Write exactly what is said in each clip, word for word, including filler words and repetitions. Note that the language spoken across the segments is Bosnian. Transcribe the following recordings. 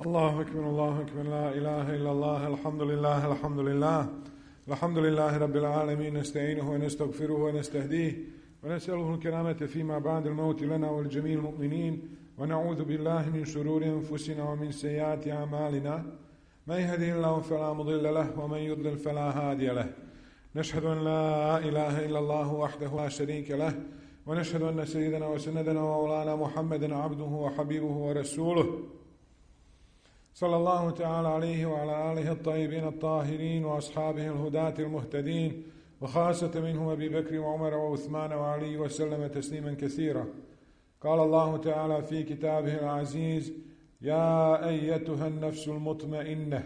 الله أكبر الله أكبر لا إله إلا الله الحمد لله الحمد لله الحمد لله رب العالمين نستعينه ونستغفره ونستهديه ونسأله الكرامة فيما بعد الموت لنا والجميع المؤمنين ونعوذ بالله من شرور أنفسنا ومن سيئات أعمالنا من يهده الله فلا مضل له ومن يضلل فلا هادي له نشهد أن لا إله إلا الله وحده لا شريك له ونشهد أن سيدنا وسندنا ومولانا محمدا عبده وحبيبه ورسوله صلى الله تعالى عليه وعلى آله الطيبين الطاهرين وأصحابه الهداة المهتدين وخاصة منهم أبي بكر وعمر وعثمان وعلي وسلم تسليما كثيرا. قال الله تعالى في كتابه العزيز: يا أيتها النفس المطمئنة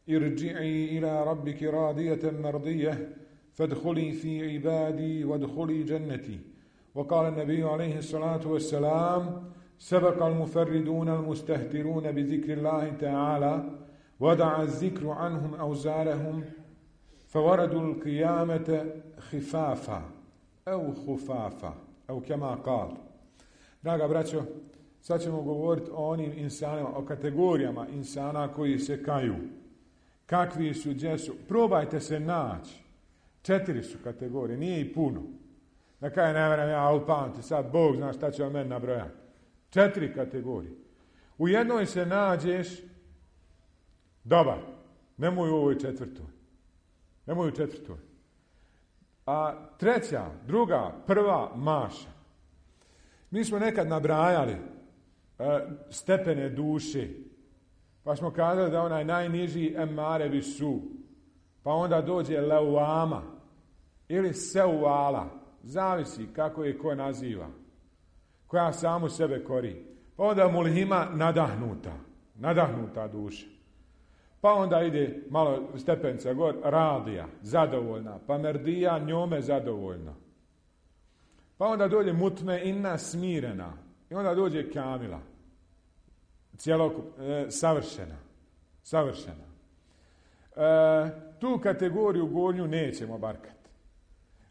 ارجعي إلى ربك راضية مرضية فادخلي في عبادي وادخلي جنتي. وقال النبي عليه الصلاة والسلام: سبق المفردون المستهترون بذكر الله تعالى ودع الذكر عنهم أوزارهم فوردوا القيامة خفافا أو خفافا أو كما قال. Draga braćo, sad ćemo govoriti o onim insanima, o kategorijama insana koji se kaju. Kakvi su, gdje su. Probajte se naći. Četiri su kategorije, nije i puno. Na kaj ne vrem ja upamti, sad Bog zna šta će on meni nabrojati. Četiri kategorije. U jednoj se nađeš dobar. Nemoj u ovoj četvrtoj. Nemoj u četvrtoj. A treća, druga, prva, maša. Mi smo nekad nabrajali e, stepene duše. Pa smo kazali da onaj najniži emare bisu. Pa onda dođe leuama ili seuala. Zavisi kako je ko naziva. Koja samu sebe kori. Pa onda mulhima nadahnuta. Nadahnuta duša. Pa onda ide malo stepenca gor, radija, zadovoljna. Pa merdija, njome zadovoljna. Pa onda dođe mutme inna, smirena. I onda dođe kamila. Cijelokup, e, savršena. Savršena. E, tu kategoriju gornju nećemo barkati.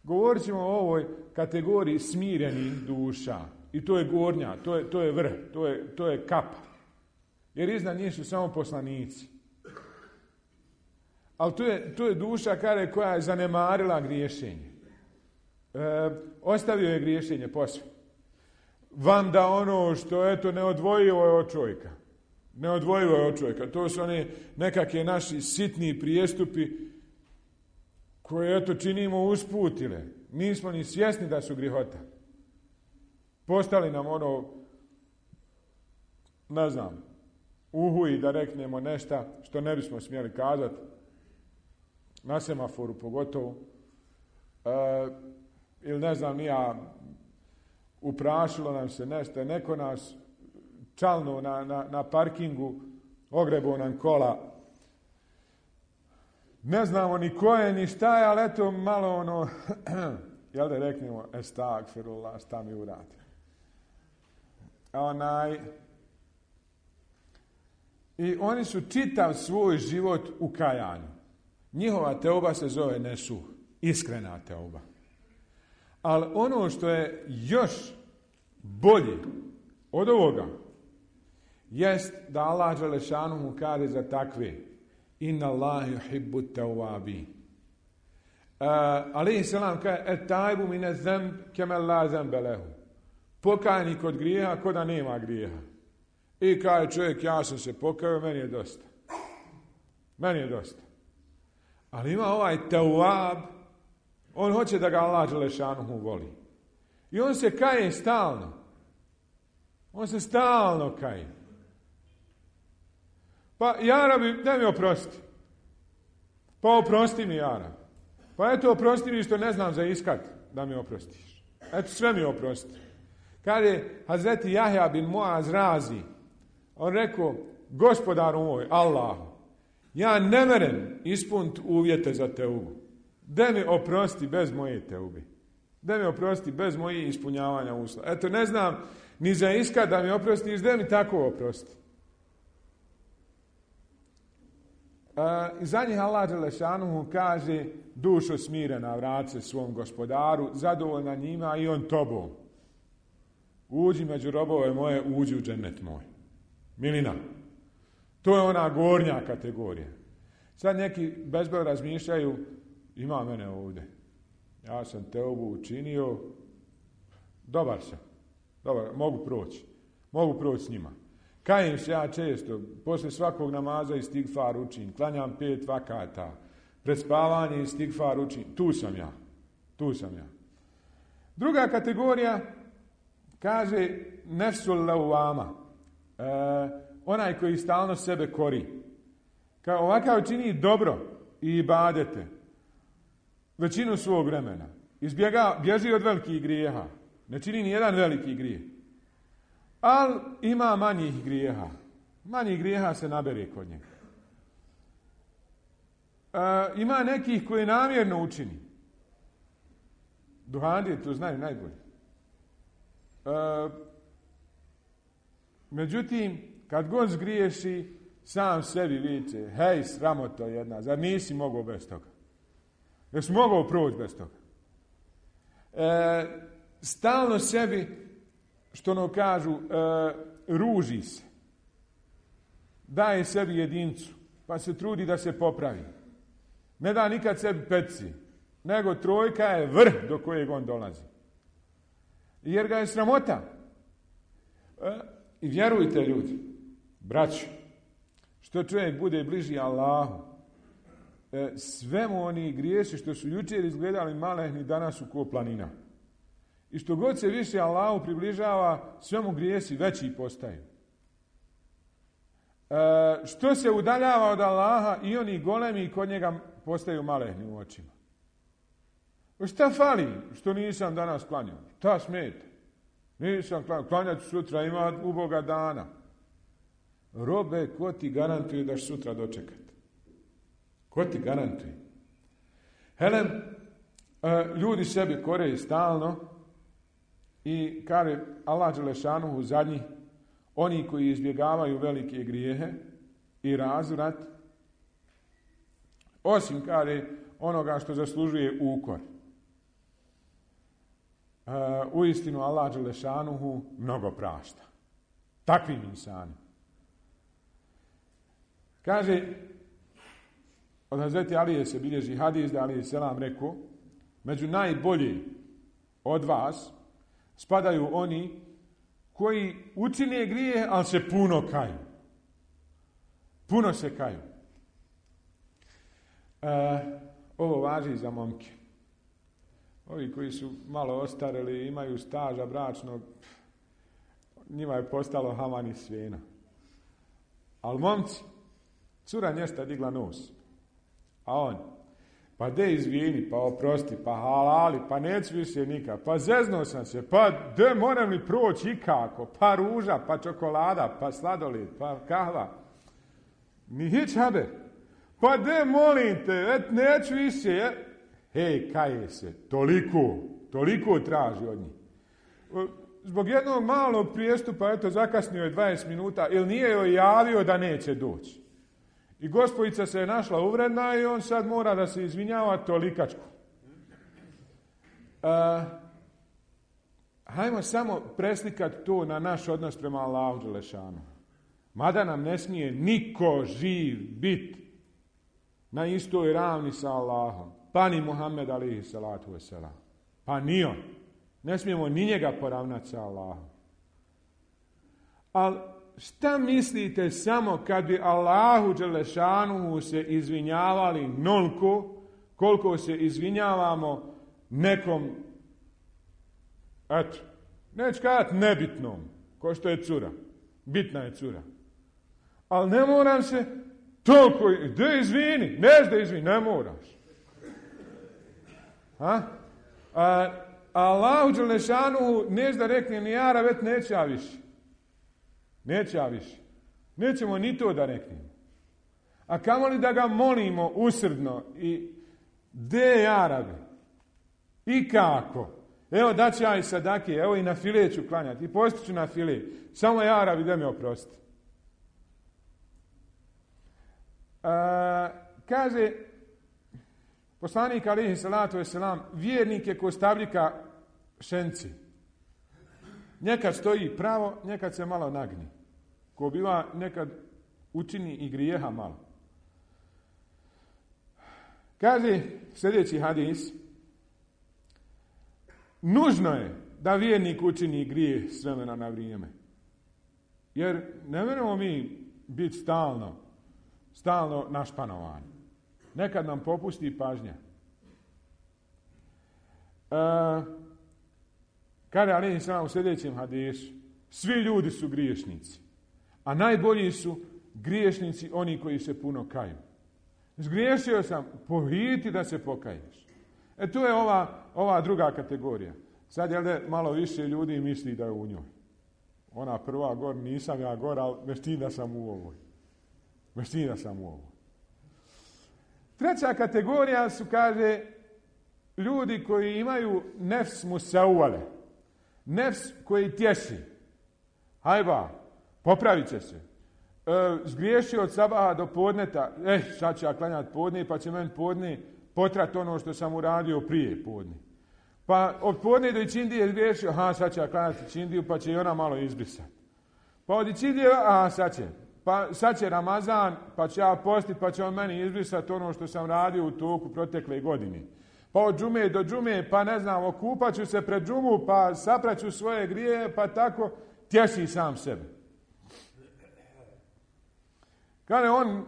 Govorit ćemo o ovoj kategoriji smirenih duša. I to je gornja, to je, to je vrh, to je, to je kapa. Jer iznad njih su samo poslanici. Ali to je, to je duša kare koja je zanemarila griješenje. E, ostavio je griješenje posve. Vam da ono što eto neodvojivo je od čovjeka. Neodvojivo je od čovjeka. To su one nekakve naši sitni prijestupi koje eto činimo usputile. Nismo ni svjesni da su grihota. Postali nam ono, ne znam, uhuji da reknemo nešto što ne bismo smjeli kazati, na semaforu pogotovo, e, ili ne znam, nija, uprašilo nam se nešto, neko nas čalno na, na, na parkingu, ogrebo nam kola, ne znamo ni ko je, ni šta je, ali eto malo ono, jel da reknemo, estagfirullah, šta mi uradi. Onaj, i oni su čitav svoj život u kajanju. Njihova teuba se zove nesuh, iskrena teuba. Ali ono što je još bolje od ovoga jest da Allah dželešanu mu kaže za takve: inna Allaha yuhibbu tawwabin. Alejhi selam kaže: et-taibu min az-zamb kema la zamba lahu. Pokajnik od grijeha ko da nema grijeha. I kaže čovjek: ja sam se pokajao, meni je dosta. Meni je dosta. Ali ima ovaj tawwab, on hoće da ga Allah dželešanuhu voli. I on se kaje stalno. On se stalno kaje. Pa ja Rabi, daj mi oprosti. Pa oprosti mi, ja Rabi. Pa eto, oprosti mi što ne znam za iskat da mi oprostiš. Eto, sve mi oprosti. Kad je Hazreti Jahja bin Muaz Razi, on rekao: gospodaru moj, Allahu, ja ne merem ispuniti uvjete za teubu. Da mi oprosti bez moje teube. Da mi oprosti bez moje ispunjavanja uslova. Eto, ne znam ni za iskat da mi oprostiš, da mi tako oprosti. I za njih Allah dželešanuhu kaže: dušo smirena, vrati se svom gospodaru, zadovoljna njima i on tobom. Uđi među robove moje, uđi u džennet moj. Milina. To je ona gornja kategorija. Sad neki bezbroj razmišljaju, ima mene ovdje. Ja sam teubu učinio, dobar sam, dobar, mogu proći, mogu proći s njima. Kajem se ja često, poslije svakog namaza istigfar učim, klanjam pet vakata, pred spavanje istigfar učim, tu sam ja, tu sam ja. Druga kategorija kaže nefsul lawama, e, onaj koji stalno sebe kori. Kao ovakav čini dobro i ibadete većinu svog vremena. Izbjega, bježi od velikih grijeha. Ne čini ni jedan veliki grijeh. Ali ima manjih grijeha. Manjih grijeha se nabere kod njega. E, ima nekih koji namjerno učini. Duhandije to znaju najbolje. E, međutim, kad god zgriješi, sam sebi viče, hej, sramoto jedna, zar nisi mogao bez toga? Jesi mogao proći bez toga? E, stalno sebi, što ono kažu, e, ruži se. Daje sebi jedincu, pa se trudi da se popravi. Ne da nikad sebi petci, nego trojka je vrh do kojeg on dolazi. Jer ga je sramota. E, I vjerujte ljudi, braću, što čovjek bude bliži Allahu, e, sve mu oni griješi što su jučer izgledali malehni, danas su ko planina. I što god se više Allahu približava, sve mu grijesi veći postaju. E, što se udaljava od Allaha, i oni golemi kod njega postaju malehni u očima. Šta fali što nisam danas klanjao? Šta smeta? Nisam klanjao. Klanjat sutra, ima uboga dana. Robe, ko ti garantuje da ćeš sutra dočekati? Ko ti garantuje? Helem, ljudi sebi koreju stalno i kaže Allah dželešanuhu zadnji, oni koji izbjegavaju velike grijehe i razvrat, osim kaže onoga što zaslužuje ukor. Uh, uistinu Allah dželešanuhu mnogo prašta. Takvim insanima. Kaže, od Hazreti Alije se bilježi hadis da Alije selam rekao, među najbolji od vas spadaju oni koji učine grije, ali se puno kaju. Puno se kaju. Uh, ovo važi za momke. Ovi koji su malo ostareli, imaju staža bračnog, njima je postalo haman i svena. Ali momci, cura njesta digla nos. A on, pa de izvini, pa oprosti, pa halali, pa neću više nikad, pa zeznuo sam se, pa de moram li proći ikako, pa ruža, pa čokolada, pa sladoled, pa kahva. Ni hić habe. Pa de molim te, et, neću više, je. Hej, kaje se, toliko, toliko traži od njih. Zbog jednog malog prijestupa, eto, zakasnio je dvadeset minuta, ili nije joj javio da neće doći. I gospojica se je našla uvredna i on sad mora da se izvinjava tolikačku. Uh, hajmo samo preslikati to na naš odnos prema Allahu dželešanu. Mada nam ne smije niko živ biti na istoj ravni sa Allahom. Pa ni Muhammed alihi salatu wasalam. Pa ni on. Ne smijemo ni njega poravnati sa Allahom. Ali šta mislite samo kad bi Allahu dželešanuhu se izvinjavali nolko koliko se izvinjavamo nekom, eto, neću kazati nebitnom, ko što je cura. Bitna je cura. Ali ne moram se toliko, da izvini, neš da izvini, ne moraš. A? A, Allahu dželešanuhu neš da rekne ni jara, već neće ja više. Neće ja više. Nećemo ni to da reknemo. A kamoli da ga molimo usrdno i de jarabe. I kako? Evo da ću ja i sadake, evo i na file ću klanjati. I postiću na file. Samo jarabi da me oprosti. A, kaže poslanik alihi salatu wasalam, vjernik je ko stavljika šenci. Nekad stoji pravo, nekad se malo nagni. Ko biva nekad učini i grijeha malo. Kaže sljedeći hadis, nužno je da vjernik učini grijeh s vremena na vrijeme. Jer ne možemo mi biti stalno, stalno našpanovani. Nekad nam popusti pažnja. E, kaže alejhi selam u sljedećem hadisu, svi ljudi su griješnici, a najbolji su griješnici oni koji se puno kaju. Zgriješio sam, pohiti da se pokaješ. E tu je ova, ova druga kategorija. Sad je li malo više ljudi misli da je u njoj. Ona prva gor, nisam ja gor, ali veštim da sam u ovoj. Veštim da sam u ovoj. Treća kategorija su, kaže, ljudi koji imaju nefs musauvale. Nefs koji tješi. Hajba, popravit će se. E, zgriješio od sabaha do podneta, eh, sad ću ja klanjati podne, pa će meni podne potrat ono što sam uradio prije podne. Pa od podne do ikindije zgriješio, aha, sad će ja klanjati ikindiju, pa će i ona malo izbrisati. Pa od ikindije, aha, sad će. Pa sad će Ramazan, pa će ja postiti, pa će on meni izbrisati ono što sam radio u toku protekle godine. Pa od džume do džume, pa ne znam, okupat ću se pred džumu, pa sapraću svoje grije, pa tako tješi sam sebe. Kada on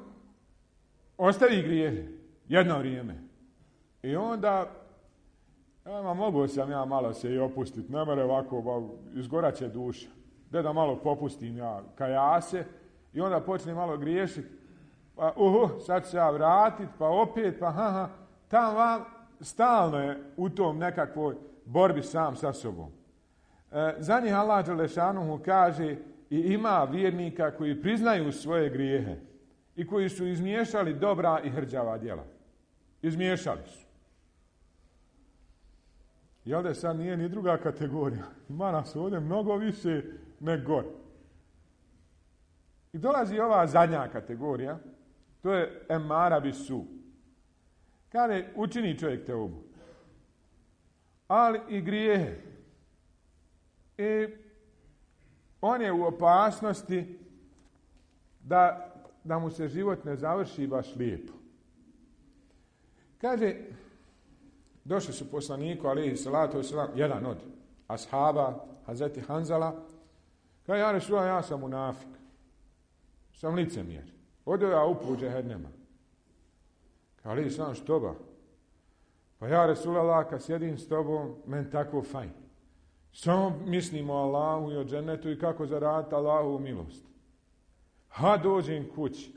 ostavi grijehe jedno vrijeme i onda ja, mogu sam ja malo se i opustiti, ne mere ovako, izgoraće duša. Da da malo popustim ja kajase i onda počne malo griješiti. Pa uhu, sad se ja vratit, pa opet, pa ha, ha. Tam vam stalno je u tom nekakvoj borbi sam sa sobom. E, za njih Allah dželešanuhu kaže i ima vjernika koji priznaju svoje grijehe i koji su izmiješali dobra i hrđava djela. Izmiješali su. Jel da sad nije ni druga kategorija? Ima nas ovdje mnogo više nego gore. I dolazi ova zadnja kategorija, to je emara bisu. Kaže, učini čovjek teubu, ali i grijehe. I on je u opasnosti da, da mu se život ne završi baš lijepo. Kaže, došli su poslaniku, alejhi salatu vesselam, jedan od ashaba, Hazreti Hanzala, kaže, ja Resulullah, ja sam munafik, sam licemjer, odio ja upu džehennema. Kaže, alejhi salam, što ba? Pa ja Resulullah, kad sjedim s tobom, men tako fajn. Samo mislimo o Allahu i o džennetu i kako zaraditi Allahu milost. Ha, dođem kući,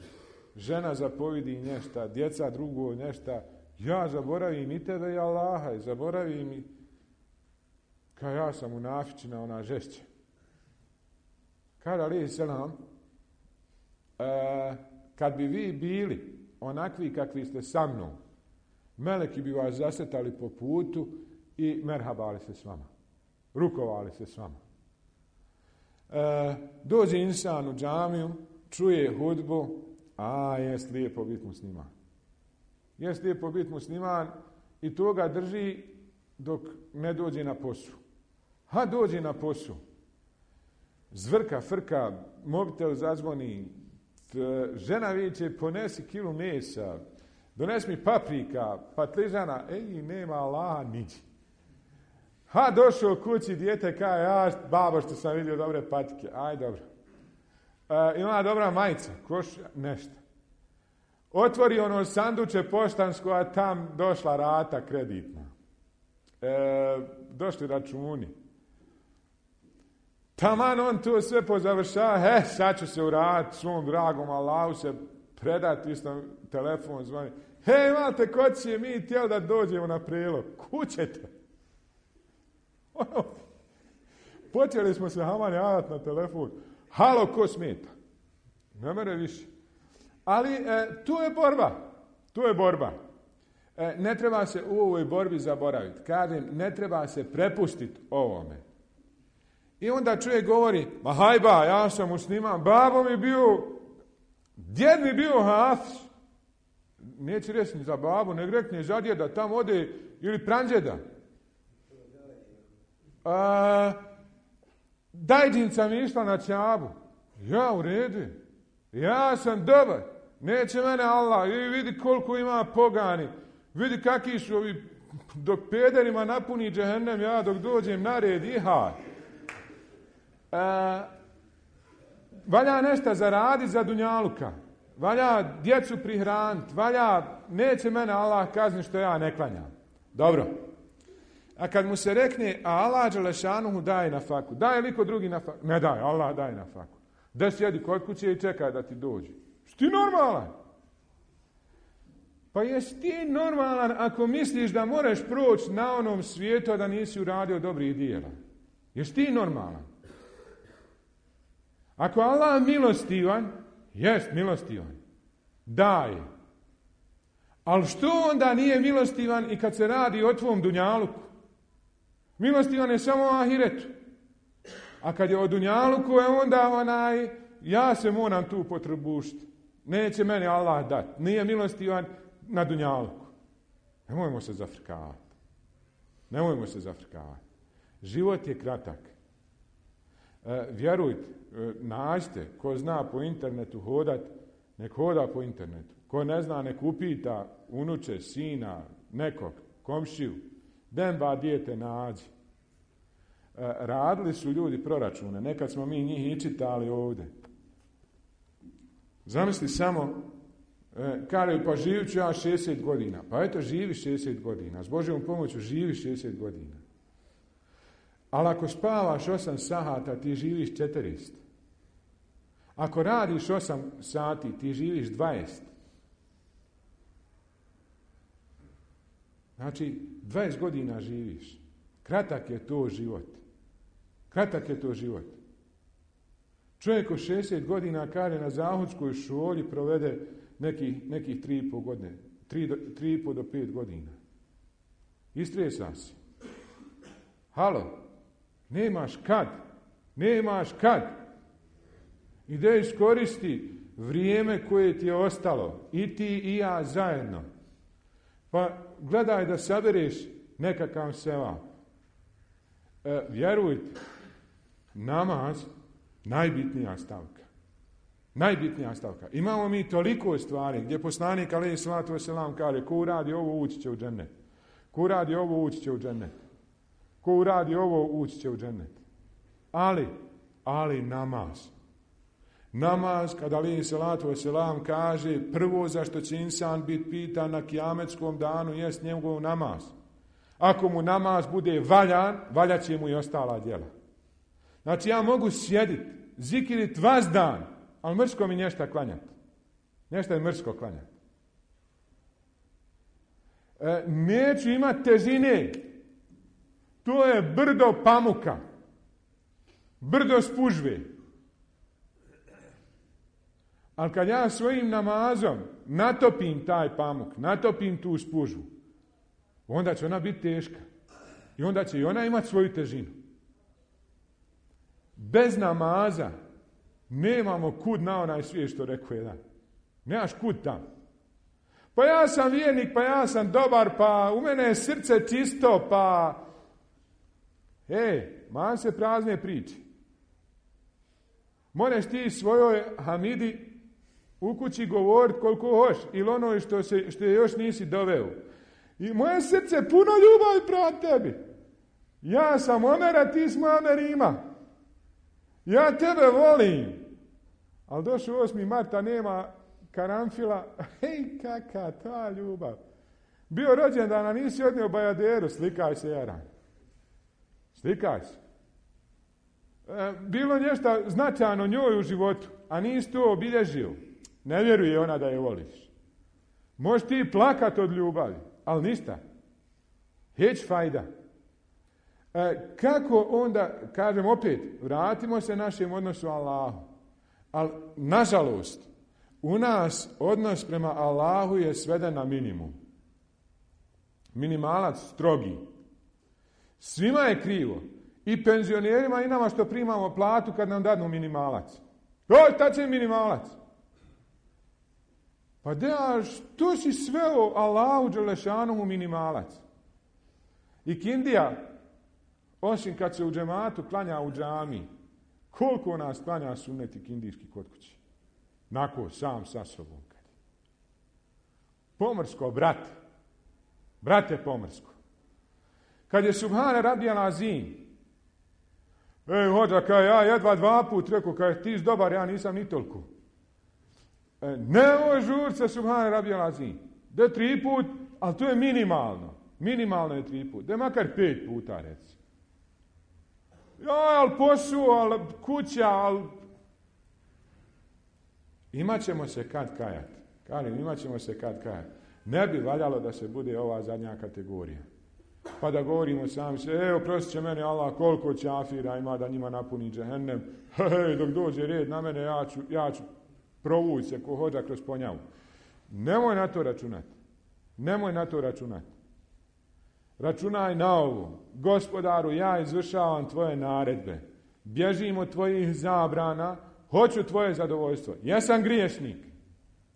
žena zapovidi nešto, djeca drugo nešto, ja zaboravim i tebe i Allaha i zaboravim i kao ja sam munafičina, ona žešća. Kaže alejhi selam, e, kad bi vi bili onakvi kakvi ste sa mnom, meleki bi vas zasetali po putu i merhabali se s vama. Rukovali se s vama. E, dođe insan u džamiju, čuje hudbu, a jest lijepo biti musliman. Jest lijepo biti musliman i to ga drži dok ne dođe na poslu. Ha, dođe na poslu. Zvrka, frka, mobitel zazvoni, žena viče, ponesi kilu mesa, donesi mi paprika, patližana, ej, nema Allaha niđi. Ha, došao kući, dijete kaže, ja, babo, što sam vidio dobre patike, aj, dobro. E, ima dobra majica, koš, nešto. Otvori ono sanduče poštansko, a tam došla rata kreditna. E, došli računi. Taman on to sve pozavršava, he, sad ću se uraditi svom dragom Allahu se predati, isto telefon zvoni. He, imate kod će mi htjeli da dođemo na prelog. Kućete. Počeli smo se haman javati na telefon. Halo, ko smeta? Ne mere više. Ali e, tu je borba. Tu je borba. E, ne treba se u ovoj borbi zaboraviti. Kažem, ne treba se prepustiti ovome. I onda čovjek govori, ma hajba, ja sam musliman, babo mi bio, djed mi bio hafiz. Neće reći ni za babu, ne rekne za djeda, tam ode, ili pranđeda. A, dajdinca mi išla na Čabu. Ja, u redu. Ja sam dobar. Neće mene Allah. I vidi koliko ima pogani. Vidi kakvi su ovi, dok pederima napuni džehennem, ja dok dođem na red i ha. E, valja nešto zaraditi za dunjaluka. Valja djecu prihraniti. Valja, neće mene Allah kazniti što ja ne klanjam. Dobro. A kad mu se rekne, a Allah dželešanuhu daje na faku. Daje li ko drugi na faku? Ne daje, Allah daje na faku. Da sjedi kod kuće i čekaj da ti dođe. Jesi ti normalan? Pa jesi ti normalan ako misliš da moraš proći na onom svijetu da nisi uradio dobrih dijela? Jesi ti normalan? Ako Allah milostivan, jest milostivan. Daje. Ali što onda nije milostivan i kad se radi o tvom dunjaluku? Milostivan je samo o ahiretu. A kad je o dunjaluku, je onda onaj, ja se moram tu potrebušiti. Neće meni Allah dati. Nije milostivan na dunjaluku. Nemojmo se zafrkavati. Nemojmo se zafrkavati. Život je kratak. E, vjerujte, e, nađite, ko zna po internetu hodat, nek hoda po internetu. Ko ne zna, nek upita unuče, sina, nekog, komšiju. Den ba dijete nađi. E, radili su ljudi proračune. Nekad smo mi njih i čitali ovdje. Zamisli samo, e, kaže, pa živit ću ja šezdeset godina. Pa eto, živi šezdeset godina. S Božjom pomoću živi šezdeset godina. Ali ako spavaš osam sahata, ti živiš četrdeset. Ako radiš osam sati, ti živiš dvadeset. Znači, dvadeset godina živiš. Kratak je to život. Kratak je to život. Čovjek od šezdeset godina kaže na zahodskoj školi provede nekih, nekih tri i pol godine. tri i pol do pet godina. Istresa si. Halo, nemaš kad. Nemaš kad. Ide iskoristi vrijeme koje ti je ostalo. I ti i ja zajedno. Pa gledaj da sabereš nekakav sevap. E, vjerujte, namaz najbitnija stavka. Najbitnija stavka. Imamo mi toliko stvari gdje poslanik alejhi selatu vesselam kaže ko uradi ovo ući će u džennet. Ko uradi ovo ući će u džennet. Ko uradi ovo ući će u džennet. Ali, ali namaz. Namaz, kada alejhi selatu vesselam kaže prvo za što će insan biti pitan na kijametskom danu jest njegov namaz. Ako mu namaz bude valjan, valjat će mu i ostala djela. Znači ja mogu sjediti, zikirit vas dan, ali mrsko mi nešto klanjati. Nešto je mrsko klanjati. E, neću imati težine. To je brdo pamuka. Brdo spužve. Ali kad ja svojim namazom natopim taj pamuk, natopim tu spužvu, onda će ona biti teška. I onda će i ona imati svoju težinu. Bez namaza nemamo kud na onaj svijet što rekao jedan. Nemaš kud tamo. Pa ja sam vjernik, pa ja sam dobar, pa u mene je srce čisto, pa... Ej, man se prazne priče. Moraš ti svojoj Hamidi u kući govoriti koliko hoš, ili ono što, se, što je još nisi doveo. I moje srce puno ljubavi prema tebi. Ja sam Omer, a ti smo Amerima. Ja tebe volim. Ali došao osmi marta, nema karanfila. Hej, kaka ta ljubav. Bio rođendan, a nisi odnio bajaderu. Slikaj se, Jaran. Slikaj se. E, bilo nešto značajno njoj u životu, a nisi to obilježio. Ne vjeruje ona da je voliš. Možeš ti plakat od ljubavi, ali ništa. Heć fajda. E, kako onda, kažem opet, vratimo se našem odnosu Allahu. Ali, nažalost, u nas odnos prema Allahu je sveden na minimum. Minimalac strogi. Svima je krivo. I penzionerima i nama što primamo platu kad nam dadnu minimalac. Oj, ta će minimalac. Pa da, što si sveo Allahu dželešanuhu minimalac? I kindija, osim kad se u džematu klanja u džami, koliko nas klanja sunnet i kindijski kod kući? Nako, sam sa sobom. Pomrsko, brate. Brate pomrsko. Kad je Subhane radijal azim, ej, hođa, kaj ja jedva dva put rekao, kaj ti si dobar, ja nisam ni toliko. E, nemoj žur se Subhane radijal azim. Da tri put, ali to je minimalno. Minimalno je tri put. Da makar pet puta, reci. Ja, ali posao, ali kuća, ali... Imaćemo se kad kajati. Kalim, imat ćemo se kad kajati. Ne bi valjalo da se bude ova zadnja kategorija. Pa da govorimo sami se, evo, prosit će mene Allah koliko ćafira ima da njima napuni džehennem. Hej, dok dođe red na mene, ja ću, ja ću provući se ko hođa kroz ponjavu. Nemoj na to računati. Nemoj na to računati. Računaj na ovo. Gospodaru, ja izvršavam tvoje naredbe. Bježim od tvojih zabrana. Hoću tvoje zadovoljstvo. Jesam griješnik.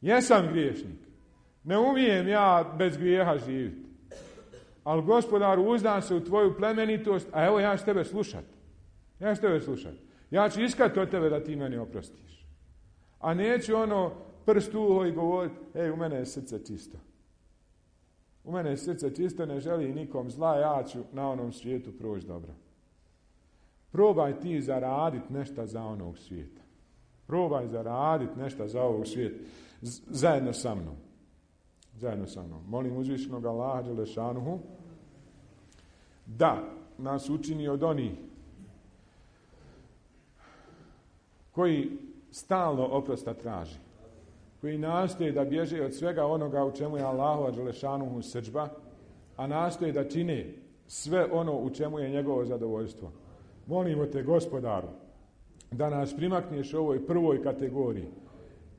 Jesam griješnik. Ne umijem ja bez grijeha živjeti. Ali gospodaru, uzdam se u tvoju plemenitost, a evo ja ću tebe slušat. Ja ću tebe slušat. Ja ću iskati od tebe da ti meni oprostiš. A neću ono prst uho i govoriti, ej, u mene je srce čisto. U mene je srce čisto, ne želi nikom zla, ja ću na onom svijetu proći dobro. Probaj ti zaraditi nešto za onog svijeta. Probaj zaraditi nešto za ovog svijeta. Z- zajedno sa mnom. Zajedno sa mnom. Molim uzvišenog Allaha dželešanuhu da nas učini od onih koji stalno oprosta traži. Koji nastoje da bježe od svega onoga u čemu je Allahova dželešanuhu srdžba, a nastoje da čine sve ono u čemu je njegovo zadovoljstvo. Molimo te, Gospodaru, da nas primakneš u ovoj prvoj kategoriji,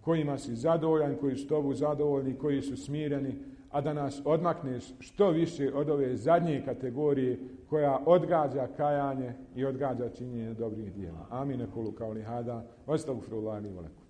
kojima si zadovoljan, koji su tobu zadovoljni, koji su smireni, a da nas odmakneš što više od ove zadnje kategorije koja odgađa kajanje i odgađa činjenje dobrih djela. Amin. Kulu kauli hada. Astagfirullahi wa lakum.